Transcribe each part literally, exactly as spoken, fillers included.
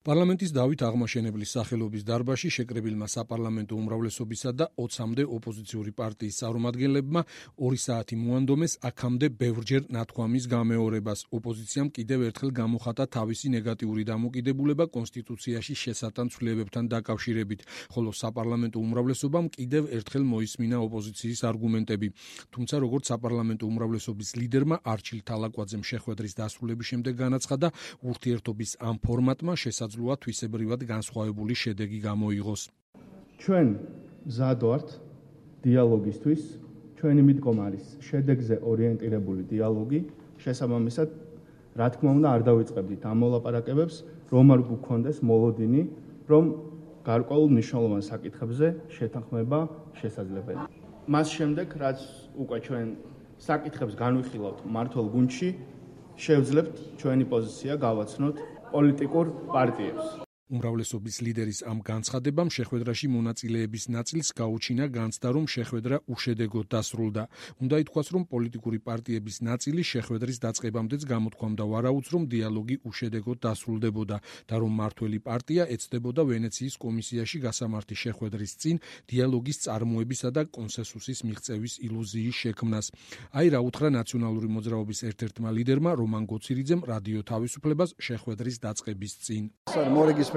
პარლამენტის დავით აღმაშენებლის სახელობის დარბაზში შეკრებილმა საპარლამენტო უმრავლესობისა და ოცამდე ოპოზიციური პარტიის წარმომადგენლებმა ორი საათი მოანდომეს აქამდე ბევრჯერ ნათქვამის გამეორებას. ოპოზიციამ კიდევ ერთხელ გამოხატა თავისი ნეგატიური დამოკიდებულება კონსტიტუციაში შესატან ცვლილებებთან დაკავშირებით, ხოლო საპარლამენტო უმრავლესობამ კიდევ ერთხელ მოისმინა ოპოზიციის არგუმენტები. თუმცა, როგორც საპარლამენტო უმრავლესობის ლიდერმა არჩილ თალაკვაძემ შეხვედრის დასრულების შემდეგ განაცხადა, ურთიერთობის ამ ფორმატმა შესაძლოა თვისებრივად განსხვავებული შედეგი გამოიღოს. ჩვენ მზად ვართ დიალოგისთვის, ჩვენი მიდგომა არის შედეგზე ორიენტირებული დიალოგი, შესაბამისად, რა თქმა უნდა, არ დავიწყებდით ამ მოლაპარაკებებს, რომ არ გვქონდეს მოლოდინი, რომ გარკვეულ მნიშვნელოვან საკითხებზე შეთანხმება შესაძლებელია. მას შემდეგ, რაც უკვე ჩვენ საკითხებს განვიხილავთ მმართველ გუნდში, შევძლებთ ჩვენი პოზიცია გავაცნოთ პოლიტიკურ პარტიებს. უმრავლესობის ლიდერის ამ განცხადებამ შეხვედრაში მონაწილეების ნაწილს გაუჩინა განცდა, რომ შეხვედრა უშედეგოდ დასრულდა. უნდა ითქვას, რომ პოლიტიკური პარტიების ნაწილი შეხვედრის დაწყებამდეც გამოთქვამდა ვარაუდს, რომ დიალოგი უშედეგოდ დასრულდებოდა და რომ მმართველი პარტია ეცდებოდა ვენეციის კომისიაში გასამართი შეხვედრის წინ დიალოგის წარმოებისა და კონსენსუსის მიღწევის ილუზიის შექმნას. აი რა უთხრა ნაციონალური მოძრაობის ერთ-ერთმა ლიდერმა რომან გოცირიძემ რადიო თავისუფლებას შეხვედრის დაწყების წინ.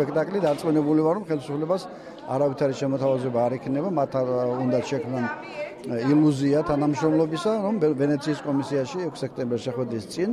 სპექტაკლი დარწმუნებული ვარ, რომ ხელისუფლებას არავითარი შემოთავაზება არ ექნება, მათ უნდა შექმნან ილუზია თანამშრომლობისა, რომ ვენეციის კომისიაში ექვსი სექტემბერს შეხვედრის წინ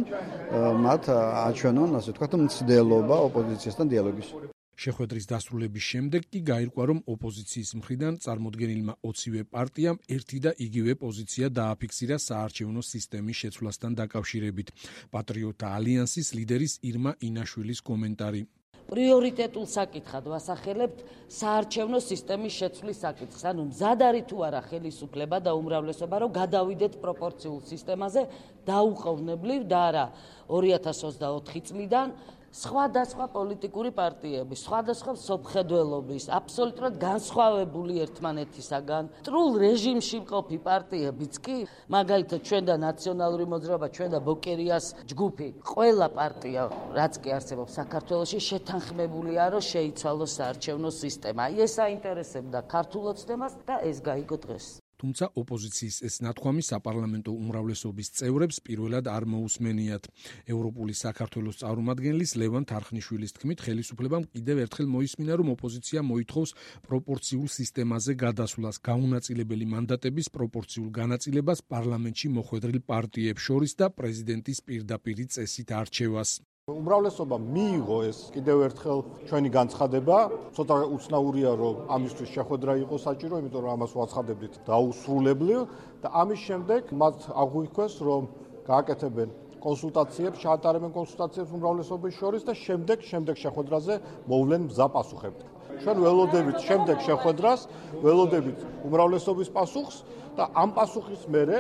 მათ აჩვენონ, ასე ვთქვათ, მცდელობა ოპოზიციასთან დიალოგის. შეხვედრის დასრულების შემდეგ კი გაირკვა, რომ ოპოზიციის მხრიდან წარმოდგენილმა ოცივე პარტიამ ერთი და იგივე პოზიცია დააფიქსირა საარჩევნო სისტემის შეცვლასთან დაკავშირებით. პატრიოტთა ალიანსის ლიდერის ირმა ინაშვილის კომენტარი. პრიორიტეტულ საკითხად ვასახელებთ საარჩევნო სისტემის შეცვლის საკითხს. ანუ მზად არის თუ არა ხელისუფლება და უმრავლესობა, რომ გადავიდეთ პროპორციულ სისტემაზე დაუყოვნებლივ და არა ორი ათას ოცდაოთხი წლიდან სხვადასხვა პოლიტიკური პარტიების, სხვადასხვა მსოფლმხედველობის, აბსოლუტურად განსხვავებული ერთმანეთისაგან, მტრულ რეჟიმში მყოფი პარტიებიც კი, მაგალითად ჩვენ და ნაციონალური მოძრაობა, ჩვენ და ბოკერიას ჯგუფი, ყველა პარტია, რაც კი არსებობს საქართველოში, შეთანხმებულია, რომ შეიცვალოს საარჩევნო სისტემა. ეს აინტერესებდა ქართულ ოცნებას და ეს გაიგო დღეს. თუმცა ოპოზიციის ეს ნათქვამი საპარლამენტო უმრავლესობის წევრებს პირველად არ მოусმენიათ. ევროპული საქართველოს წარმომადგენლის ლევან თარხნიშვილის თქმით, ხელისუფლებამ კიდევ ერთხელ მოისმინა, რომ ოპოზიცია მოითხოვს პროპორციულ სისტემაზე გადასვლას, გაუნაწილებელი მანდატების პროპორციულ განაწილებას პარლამენტში მოხვედრილ პარტიებს შორის და პრეზიდენტის პირდაპირი წესით არჩევას. უმრავლესობა მიიღო ეს კიდევ ერთხელ ჩვენი განცხადება, ცოტა უცნაურია, რომ ამისთვის შეხვედრა იყოს საჭირო, იმიტომ რომ ამას ვაცხადებდით დაუსრულებლივ და ამის შემდეგ მათ აღვიქვეს, რომ გააკეთებენ კონსულტაციებს, ჩაატარებენ კონსულტაციებს უმრავლესობის შორის და შემდეგ შემდეგ შეხვედრაზე მოვლენ მზა პასუხებით. ჩვენ ველოდებით შემდეგ შეხვედრას, ველოდებით უმრავლესობის პასუხს და ამ პასუხის მერე,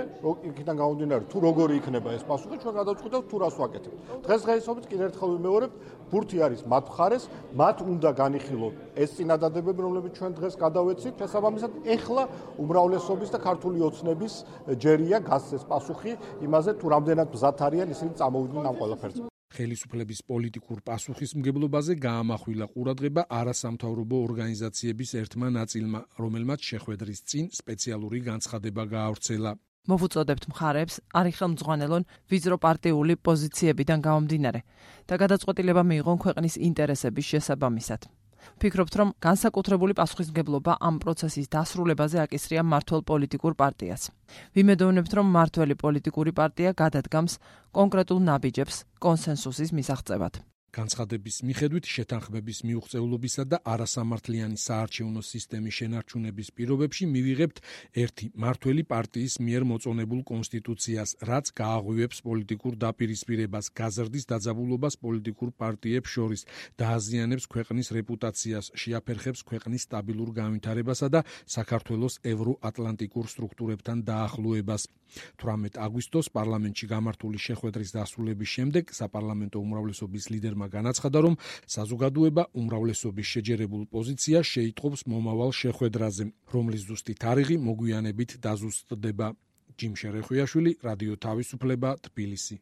იქიდან გამომდინარე, თუ როგორი იქნება ეს პასუხი, ჩვენ გადავწყვიტებთ თუ რას ვაკეთებთ. დღესდღეობით კიდევ ერთხელ ვიმეორებ, ბურთი არის მათ მხარეს, მათ უნდა განიხილონ ეს წინადადებები, რომლებიც ჩვენ დღეს გადავეცით. შესაბამისად, ეხლა უმრავლესობის და ქართული ოცნების ჯერია გასცეს პასუხი იმაზე, თუ რამდენად მზად არიან ისინი წამოვიდნენ ამ ყველაფერზე. ხელისუფლების პოლიტიკურ პასუხისმგებლობაზე გაამახვილა ყურადღება არასამთავრობო ორგანიზაციების ერთმა ნაწილმა, რომელმაც შეხვედრის წინ სპეციალური განცხადება გაავრცელა. მოვუწოდებთ მხარებს არი ხელმძღვანელონ ვიზრო პარტიული პოზიციებიდან გამომდინარე და გადაწყვეტილება მიიღონ ქვეყნის ინტერესების შესაბამისად. ვფიქრობთ, რომ განსაკუთრებული პასუხისმგებლობა ამ პროცესის დასრულებაზე აკისრია მმართველ პოლიტიკურ პარტიას. ვიმედოვნებთ, რომ მმართველი პოლიტიკური პარტია გადადგამს კონკრეტულ ნაბიჯებს კონსენსუსის მისაღწევად. განცხადების მიხედვით შეთანხმების მიუღწევლობისა და არასამართლიანი საარჩევნო სისტემის შენარჩუნების პირობებში მივიღებთ ერთი მმართველი პარტიის მიერ მოწონებულ კონსტიტუციას, რაც გააღვივებს პოლიტიკურ დაპირისპირებას, გაზრდის დაძაბულობას პოლიტიკურ პარტიებს შორის, დააზიანებს ქვეყნის რეპუტაციას, შეაფერხებს ქვეყნის სტაბილურ განვითარებასა და საქართველოს ევროატლანტიკურ სტრუქტურებთან დაახლოებას. თვრამეტ აგვისტოს პარლამენტში გამართული შეხვედრის დასრულების შემდეგ საპარლამენტო უმრავლესობის ლიდერმა განაცხადა, რომ საზოგადოება უმრავლესობის შეჯერებულ პოზიციას შეიტყობს მომავალ შეხვედრაზე, რომლის ზუსტი თარიღი მოგვიანებით დაზუსტდება. ჯიმ შერეხუიაშვილი, რადიო თავისუფლება, თბილისი.